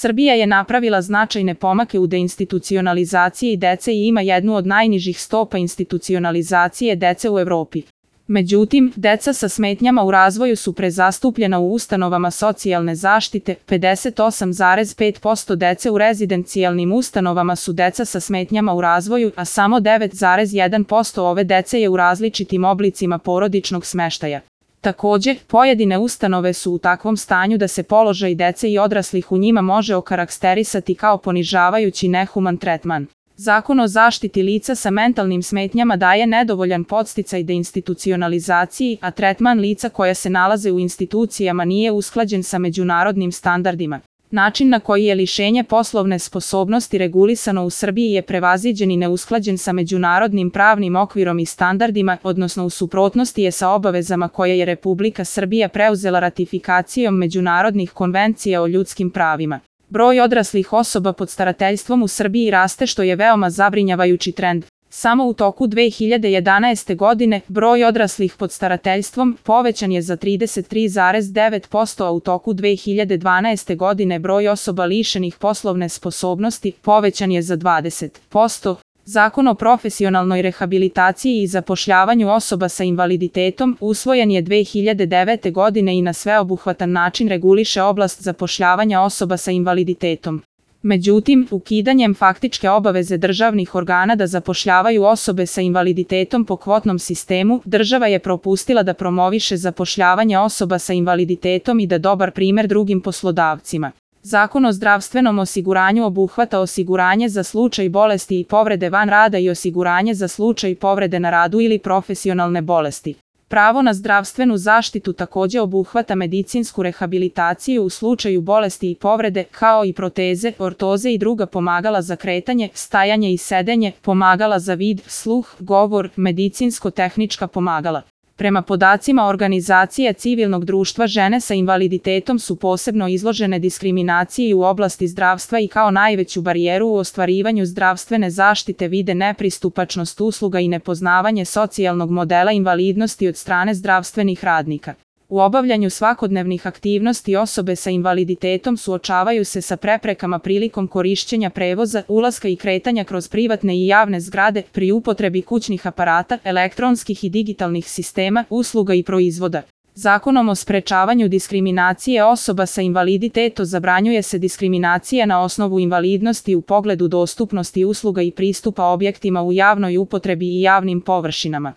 Srbija je napravila značajne pomake u deinstitucionalizaciji dece i ima jednu od najnižih stopa institucionalizacije dece u Evropi. Međutim, deca sa smetnjama u razvoju su prezastupljena u ustanovama socijalne zaštite, 58,5% dece u rezidencijalnim ustanovama su deca sa smetnjama u razvoju, a samo 9,1% ove dece je u različitim oblicima porodičnog smeštaja. Također, pojedine ustanove su u takvom stanju da se položaj dece i odraslih u njima može okarakterisati kao ponižavajući nehuman tretman. Zakon o zaštiti lica sa mentalnim smetnjama daje nedovoljan podsticaj deinstitucionalizaciji, a tretman lica koja se nalaze u institucijama nije usklađen sa međunarodnim standardima. Način na koji je lišenje poslovne sposobnosti regulisano u Srbiji je prevaziđen i neusklađen sa međunarodnim pravnim okvirom i standardima, odnosno u suprotnosti je sa obavezama koje je Republika Srbija preuzela ratifikacijom međunarodnih konvencija o ljudskim pravima. Broj odraslih osoba pod starateljstvom u Srbiji raste, što je veoma zabrinjavajući trend. Samo u toku 2011. godine broj odraslih pod starateljstvom povećan je za 33,9%, a u toku 2012. godine broj osoba lišenih poslovne sposobnosti povećan je za 20%. Zakon o profesionalnoj rehabilitaciji i zapošljavanju osoba sa invaliditetom usvojen je 2009. godine i na sveobuhvatan način reguliše oblast zapošljavanja osoba sa invaliditetom. Međutim, ukidanjem faktičke obaveze državnih organa da zapošljavaju osobe sa invaliditetom po kvotnom sistemu, država je propustila da promoviše zapošljavanje osoba sa invaliditetom i da dobar primer drugim poslodavcima. Zakon o zdravstvenom osiguranju obuhvata osiguranje za slučaj bolesti i povrede van rada i osiguranje za slučaj povrede na radu ili profesionalne bolesti. Pravo na zdravstvenu zaštitu također obuhvata medicinsku rehabilitaciju u slučaju bolesti i povrede, kao i proteze, ortoze i druga pomagala za kretanje, stajanje i sedenje, pomagala za vid, sluh, govor, medicinsko-tehnička pomagala. Prema podacima Organizacije civilnog društva, žene sa invaliditetom su posebno izložene diskriminaciji u oblasti zdravstva i kao najveću barijeru u ostvarivanju zdravstvene zaštite vide nepristupačnost usluga i nepoznavanje socijalnog modela invalidnosti od strane zdravstvenih radnika. U obavljanju svakodnevnih aktivnosti osobe sa invaliditetom suočavaju se sa preprekama prilikom korišćenja prevoza, ulaska i kretanja kroz privatne i javne zgrade, pri upotrebi kućnih aparata, elektronskih i digitalnih sistema, usluga i proizvoda. Zakonom o sprečavanju diskriminacije osoba sa invaliditetom zabranjuje se diskriminacija na osnovu invalidnosti u pogledu dostupnosti usluga i pristupa objektima u javnoj upotrebi i javnim površinama.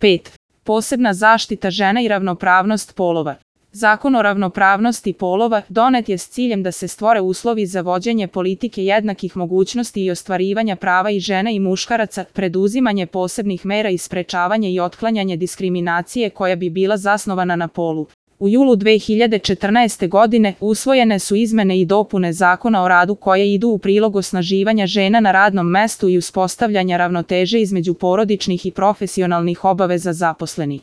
5. Posebna zaštita žena i ravnopravnost polova. Zakon o ravnopravnosti polova donet je s ciljem da se stvore uslovi za vođenje politike jednakih mogućnosti i ostvarivanja prava i žena i muškaraca, preduzimanje posebnih mera i sprečavanje i otklanjanje diskriminacije koja bi bila zasnovana na polu. U julu 2014. godine usvojene su izmene i dopune Zakona o radu koje idu u prilog osnaživanja žena na radnom mestu i uspostavljanja ravnoteže između porodičnih i profesionalnih obaveza zaposlenih.